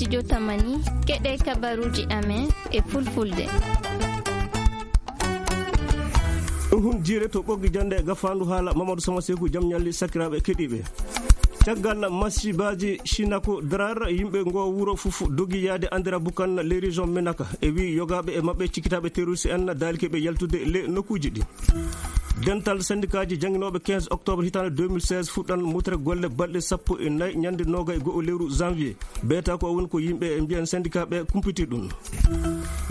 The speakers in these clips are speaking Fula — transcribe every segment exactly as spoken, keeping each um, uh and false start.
Jotamani, keɗe kabaruji amen e fulfulde. Ɗum hun jiire to ɓoggi jannde e gafaandu haala Mamadou Sama Seeku jam ñalli sakiraaɓe keɗiiɓe. Caggal masibaaji Shinako Drar, yimɓe ngo wuro fof dogi yaade Andira Bukan les régions Menaka. E wi yogaaɓe e maɓɓe cikkitaaɓe terroriste en daalike ɓe yaltude le nokkuuji ɗi. Dental sendikaaji jannginooɓe quinze octobre hitaande deux mille seize fuɗɗan mutre golle balɗe sappo e nayi ñande noogay e go'o lewru janvier. Beeta ko woni ko yimɓe e mbiyan syndicat ɓe kumpiti ɗum.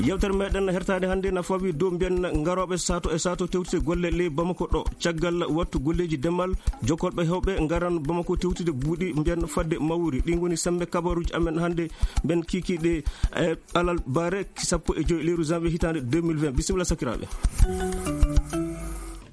Yewtere meɗen hertaade hannde na fawi dow mbiyan ngarooɓe sato e sato tewtide golle ley Bamako ɗo. Caggal wattu golleeji demal, jokkolɓe hewɓe ngaran Bamako tewtide buuɗi mbiyan fadde mawri. Ɗin woni sembe kabaruuji amen hannde mben kiikiiɗe e alal bare sappo e joy lewru janvier hitaande deux mille vingt. Bisimilla sakiraaɓe.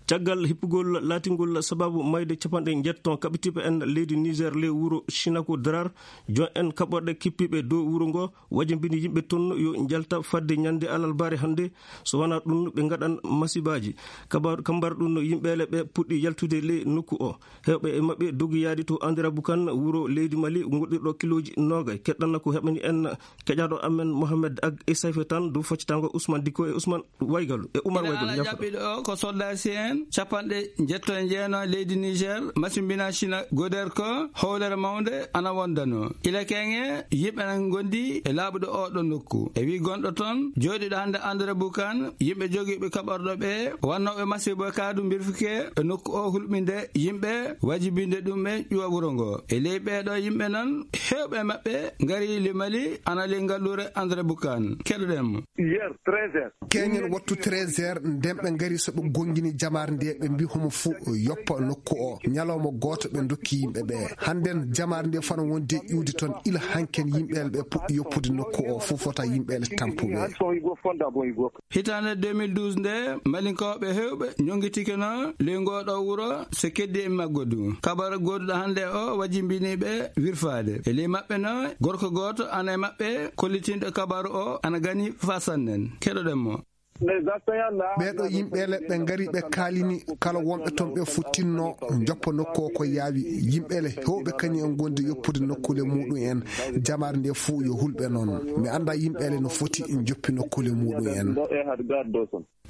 Caggal hippugol laatingol sababu mayde capanɗe njetton kaɓitiiɓe en leydi Niger ley wuro Shinako Drar, jon en kaɓorɗe kippiiɓe dow wuro ngo, wajambini yimɓe ton yo njalta fadde ñande alalbaare hannde, so wonaa ɗum ɓe ngaɗan masibaaji. Kabar-, kambar ɗum yimɓeele ɓe puɗɗi yaltude ley nokku o. Heewɓe e maɓɓe dogi yaade to Andira Bukan, wuro leydi Mali, ngoɗɗirɗo kilooji noogay. Keɗɗana ko heɓani en keƴaaɗo amen Mohamed Ag e Sayfe tan, dow faccitango Ousmane Dikko e Ousmane Waygalu, e Umar Ina Waygalu, ala ñafa. Ƴaɓɓiɗo o ko soldaasi en capanɗe njetto e jeenayi leydi Niger, masimbina Sina Goder ko howlere mawnde ana wondano. Ila keŋe yimɓe nan ngondi e laaɓuɗo oɗo nokku. E wi gonɗo ton, jooɗiɗo hannde André Bukan, yimɓe jogiiɓe kaɓorɗo ɓe, wannooɓe masibo kaadu mbirfuke e nokku o hulɓinde yimɓe, wajibinde ɗum ɓe ƴuwa wuro ngo. E ley ɓeeɗo yimɓe nan, heewɓe maɓɓe ngari le Mali, ana ley ngalluure André Bukan. Keɗoɗen mo. Hier, treize heures. Keñen wattu treize heures, nden ɓe ngari so ɓe gongini jamaare nde, ɓe mbi homo fu yoppa nokku o. Ñalawma gooto ɓe dokki yimɓe ɓe. Hannden jamaare nde fano wonde iwde toon, ila hanken yimɓeele ɓe puɗɗi yoppude nokku o, fof fota yimɓeele tampuɓe. Hitaande deux mille douze nde, Malinkooɓe heewɓe ñongitikeno ley ngooɗo wuro, so keddi e maggo du. Kabaru gooduɗo hannde o wajimbini ɓe wirfaade. E ley maɓɓe no, gorko gooto ana e maɓɓe kollitinɗo kabaru o ana gani faa sannen. Keɗoɗen mo. Ɓeeɗo yimɓeele ɓe ngari, ɓe kaalini kala wonɓe toon ɓe fof tinno joppa nokku o ko yaawi. Yimɓeele heewɓe kañum en ngondi yoppude nokkuule muɗum en. Jamaare nde fof yo hulɓe noon. Mi annda yimɓeele no foti joppi nokkuule muɗum en.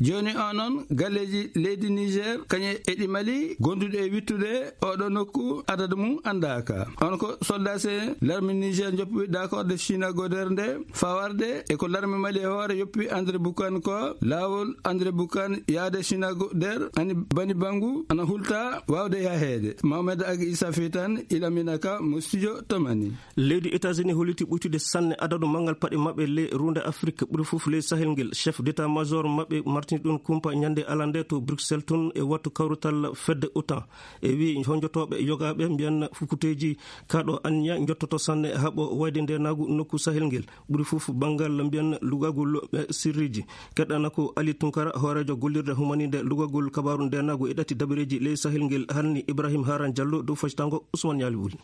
Jooni o noon, galleeji leydi Niger, kañe e ɗi Mali, gonduɗe e wittude oɗo nokku, adadu mum anndaaka. On ko soldat se larme Niger joppi d'accord de Chine Goder nde, fawarde e ko larme Mali e hoore yoppi André Bukan ko, laawol André Bukan yaade Chine Goder, ani bani bangu, ana hulta waawde yaheede. Mohamed Agi Issa Fitan, Ilamina Ka, mo studio Tamani. Leydi États-Unis holliti ɓuytude sanne adadu manngal paɗe maɓɓe ley ruunde Afrik, ɓuri fof ley Sahel ngel. Chef d'état-major maɓɓe martini ɗum kumpa ñande alande to Bruxelles tun e wattu kawrutal fedde otan. E wi honjotooɓe yogaaɓe mbiyan fukkuteeji kaɗo anniya jottoto sanne haɓo wayde ndenagu nokku Sahel ngel. Ɓuri fof banngal mbiyan lugagol, eh, sirriji. Keɗɗana ko Ali Tunkara, hooreejo gollirde humaninde lugagol kabaru ndenagu e ɗati dabareeji ley Sahel ngel, halni Ibrahim Haran Diallo dow factango Ousmane Ñaali Wuli.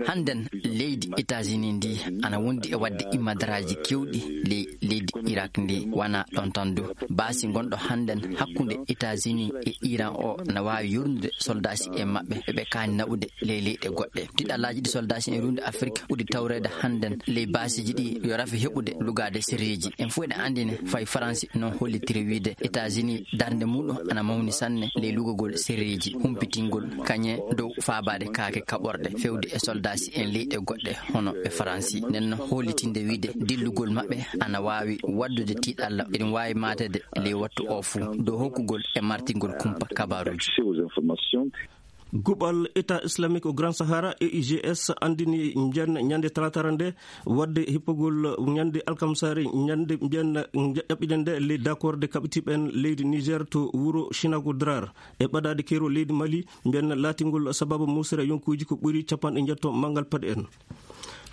Hannden leydi États-Unis ndi ana wondi e waɗde immadaraaji keewɗi ley leydi Irak ndi, wana ɗon tan du. Baasi gonɗo hannden hakkunde États-Unis e Iran o na waawi yurnude soldaasi en maɓɓe ɓe ɓe kaani naɓude ley leyɗe goɗɗe. Tiɗallaaji ɗi soldaasi en rundi Afrik ɓuri tawreede hannden ley baasiiji ɗi yo rafi heɓude lugaade sirriiji. En fof eɗen anndi ne fay Faransi noon hollitiri wiide États-Unis darnde muɗum ana mawni sanne ley lugagol sirriiji, humpitingol kañe dow faabaade kaake kaɓorɗe fewde e soldaasi en leyɗe goɗɗe hono e Faransi. Nden no hollitinde wiide dillugol maɓɓe ana waawi waddude tiiɗalla eɗum waawi maatede ley wattu o fuu dow hokkugol e martingol kumpa kabaruuji. Guɓal État Islamique au Grand Sahara, E I G S, anndini mbiyan ñande talatara nde waɗde hippogol ñande alkamsare, ñande mbiyan ƴaɓɓiɗen nde ley d'accord de kaɓitiiɓe en leydi Niger to wuro Chinago Drar. E ɓadaade keerol leydi Mali, mbiyan laatingol sababu musere yonkuuji ko ɓuri capanɗe njetto manngal paɗe en.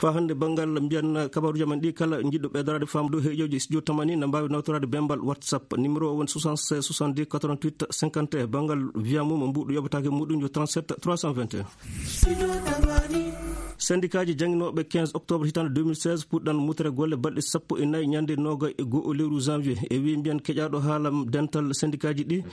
Faa hannde banngal mbiyan kabaruuji amen ɗi kala njiɗɗo ɓeydoraade faamde dow heeƴooji studio Tamani na mbaawi nawtoraade bembal WhatsApp. Numéro o woni soixante-seize soixante-dix quatre-vingt-huit cinquante et un. Banngal wiya mum mbuuɗu yoɓataake muɗum yo trente-sept trois cent vingt et un. Sendikaaji jannginooɓe quinze octobre hitaande deux mille seize puɗɗan mutere golle balɗe sappo e nayi ñande nooga e go'o lewru janvier. E wii mbiyan keƴaaɗo haala dental sendikaaji ɗi,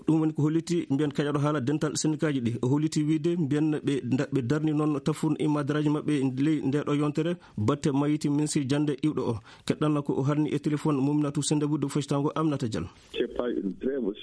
ɗum woni ko holliti mbiyan keƴaaɗo haala dental sendikaaji ɗi. O holliti wiide mbiyan ɓe nda-, ɓe darni noon tafun imma daraaji maɓɓe ley nde ɗo yontere batte mayiti ministre jannde iwɗo o. Keɗɗanna ko o harni e téléphone Mouminatou Sendebou de Fostango Aminata Diallo.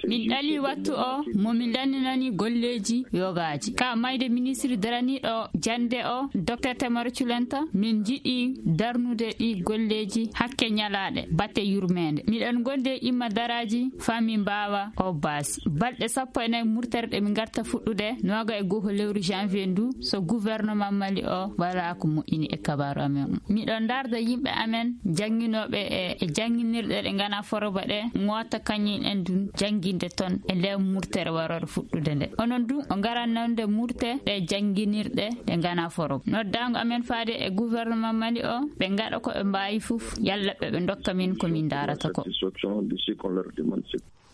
Min ɗali wattu o mo min lanndinani golleeji yogaaji. Ka mayde ministre daraniiɗo jannde o, docteur Temaro Culenta, min njiɗi darnude ɗi golleeji hakke ñalaaɗe batte yurmeende. Miɗen ngondi e imma daraaji faa min mbaawa o baasi. Balɗe sappo e nayi murtere ɗe min ngarta fuɗɗude nooga e go'o lewru janvier ndu, so gouvernement Mali o walaa ko moƴƴini e kabaaru amen o. Miɗo ndaarda yimɓe amen jannginooɓe e, e jannginirɗe ɗe nganaa foroba ɗe, ngoota kañum en ɗum jannginde toon e nder murtere warooɗo fuɗɗude nde. Onon ɗum o ngaran nande murte ɗe jannginirɗe ɗe nganaa foroba. Noddaango amen faade e gouvernement Mali o, ɓe ngaɗa ko ɓe mbaawi fof, yalla ɓe, ɓe ndokka min ko min ndaarata ko.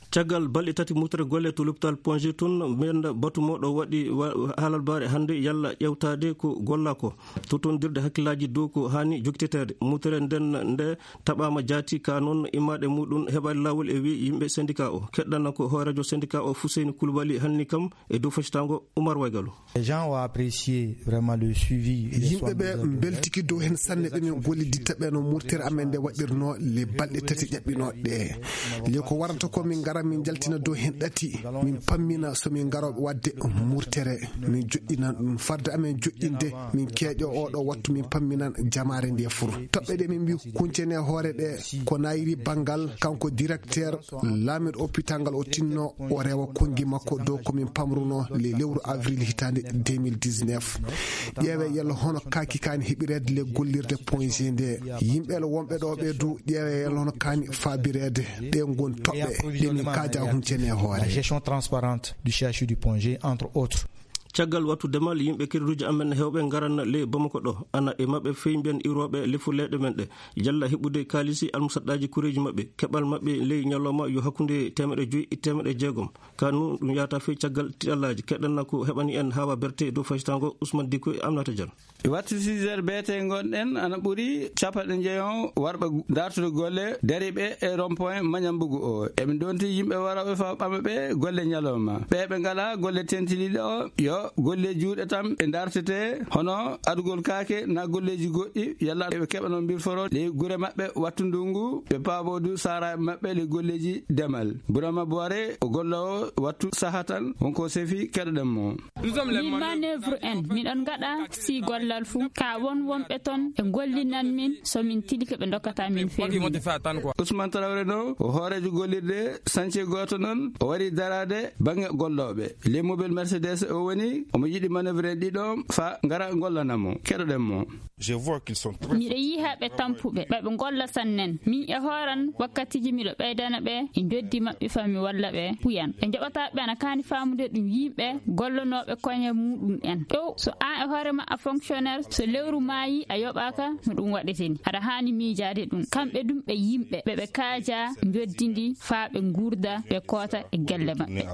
Caggal balɗe tati murtere golle to l'hôpital Ponge tun, mbiyen batu mo ɗo waɗi wa-, haalalbaare hannde yalla ƴewtaade ko golla ko. Totondirde hakkillaaji dow ko haani jogiteteede. Murtere nden nde taɓaama jaati ka noon immaade muɗum heɓaade laawol e wi yimɓe syndicat o. Keɗɗana ko hooreejo syndicat o Fuseyni Kulubali halni kam e dow fecitaango Umar Waygalu. Les gens ont apprécié vraiment le suivi et les soins. Yimɓe ɓe mbeltiki dow heen sanne ɓe min golliditta ɓe no murtere amen nde waɗirno le balɗe tati ƴaɓɓinooɗe ɗe. Le ko warata ko min ngara min njaltina dow heen ɗati, min pammina so min ngarooɓe waɗde murtere. Min joɗɗinan ɗum farde amen joɗɗinde, min keeƴo oɗo wattu min pamminan jamaare nde fur. Toɓɓe ɗe min mbi kuncene hoore ɗe ko nayri banngal kanko directeur laamiiɗo hôpital ngal o tinno o rewa konngi makko dow ko min pamruno le lewru avril hitaande deux mille dix-neuf. Ƴeewe yalla hono kaaki kaani heɓireede le gollirde point G nde. Yimɓe le wonɓe ɗo ɓe du ƴeewe yalla hono kaani faabireede. Ɗe ngon toɓɓe ɗe min kaaja huncene hoore. La gestion transparente du C H U du Ponge, entre autres. Caggal wattu demal, yimɓe kiriduuji amen heewɓe ngaran ley Bamako ɗo. Ana e maɓɓe fey mbiyen iwrooɓe lefu leyɗe men ɗe. Yalla heɓude kaalisi almusaɗɗaaji kureeji maɓɓe. Keɓal maɓɓe ley ñalawma yo hakkunde teemeɗɗe joyi e teemeɗɗe jeegom. Ka nu ɗum yahata fey caggal tiɗallaaji. Keɗɗanna ko heɓani en Hawa Berte dow faytaango Ousmane Diko e Aminata Diallo. Wattu six heures beete ngonɗen ana ɓuri capanɗe njeyon warɓe dartude golle dariɓe e rond-point Mañambugu o. Eɓe ndonti yimɓe warooɓe faa ɓama ɓe golle ñalawma. Ɓe ɓe ngalaa golle tentiniiɗe o, yo golle juuɗe tan ɓe dartete, hono adugol kaake naa golleeji goɗɗi, yalla ɓe keɓano mbirforo ley gure maɓɓe wattu ndungu, ɓe paaboo du saaraaɓe maɓɓe ley golleeji demal. Burama Boire o golloowo wattu saha tan, wonko sefi keɗoɗen mo. Min manœuvre en, miɗon ngaɗa si gollal fuu, ka won wonɓe ton ɓe gollinan min, so min tilike ɓe ndokkata min feewde. Ousmane Traoré no o hooreejo gollirde sance gooto non, o wari daraade baŋŋe gollooɓe. Les mobile Mercedes o woni, omo yiɗi manœuvre en ɗiɗo fa ngara gollana mo. Keɗoɗen mo. Je vois qu'ils sont très. Miɗo yiha ɓe tampuɓe, ɓe ɓe golla sannen. Min e hooran wakkatiji miɗo ɓeydana ɓe e njoddi maɓɓe fa mi walla ɓe puyan. Ɓe njoɓata ɓe ana kaani faamude ɗum yimɓe gollanooɓe koñe muɗum en. Ɗo so an e hoore ma a fonctionnaire, so lewru maayi a yoɓaaka no ɗum waɗete ni. Aɗa haani miijaade ɗum. Kamɓe ɗum ɓe yimɓe, ɓe ɓe kaaja njoddi ndi faa ɓe nguurda, ɓe koota e gelle maɓɓe.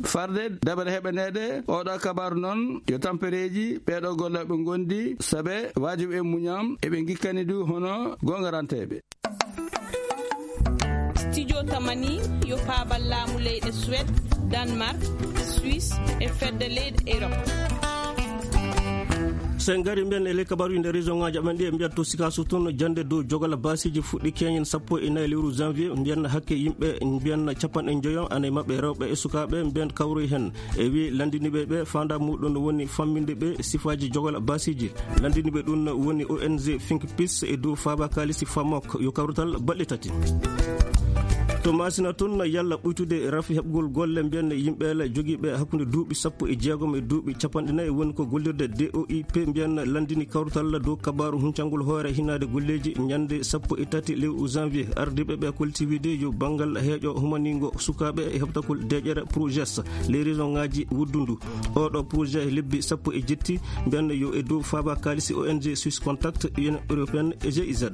Farde daɓere heɓaneede oɗo kabaru noon yo tampereeji ɓeeɗo gollooɓe ngondi sabe waajibi e muñam eɓe ngikkani du hono goongaranteeɓe. Studio Tamani yo paabal laamu leyɗe Suède, Danemark, Suisse e fedde leyɗe Europe. So en ngari mbiyen e ley kabaruji nder région ngaji amen ɗi, e mbiyat to Sikaso toon jannde dow jogal baasiiji fuɗɗi keñen sappo e nayi lewru janvier, mbiyen hakke yimɓe mbiyen capanɗe njoyo ana e maɓɓe rewɓe e sukaaɓe mbiyen kawroy heen. E wi lanndiniiɓe ɓe faandaa muɗum woni famminde ɓe sifaaji jogal baasiiji. Lanndiniiɓe ɗum woni O N G Think Peace e dow faaba kaalisi Famok yo kawrital balɗe tati. To Masina toon yalla ɓuytude rafi heɓgol golle mbiyen yimɓe la jogiiɓe hakkunde duuɓi sappo e jeegom e duuɓi capanɗe nayi woni ko gollirde D O I P mbiyen lanndini kawrital dow kabaaru huncangol hoore hinaade golleeji ñande sappo e tati lewru janvier. Ardiiɓe ɓe kolti wiide yo banngal heeƴo humaniingo sukaaɓe e heɓtagol deeƴere projet les région ngaji wuddundu. Oɗo projet lebbi sappo e jetti mbiyen yo e dow faaba kaalisi O N G Swiss Contact, Union Européenne e G I Z.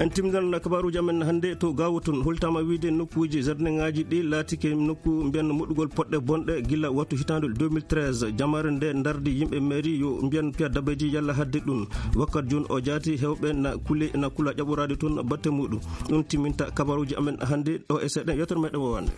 En timminan kabaruuji amen hannde to Gaawo tun. Hultaama wiide nokkuuji jardinŋaaji ɗi laatike nokku mbiyan moɗugol poɗɗe bonɗe gila wattu hitaande deux mille treize. Jamaare nde ndardi yimɓe mairie yo mbiyan piya dabeji yalla hadde ɗum. Wakkat jun o jaati hewɓe na kule na kula ƴaɓoraade tun batte muɗum. Ɗum timminta kabaruuji amen hannde ɗo e seeɗa yewtere meɗen wowande.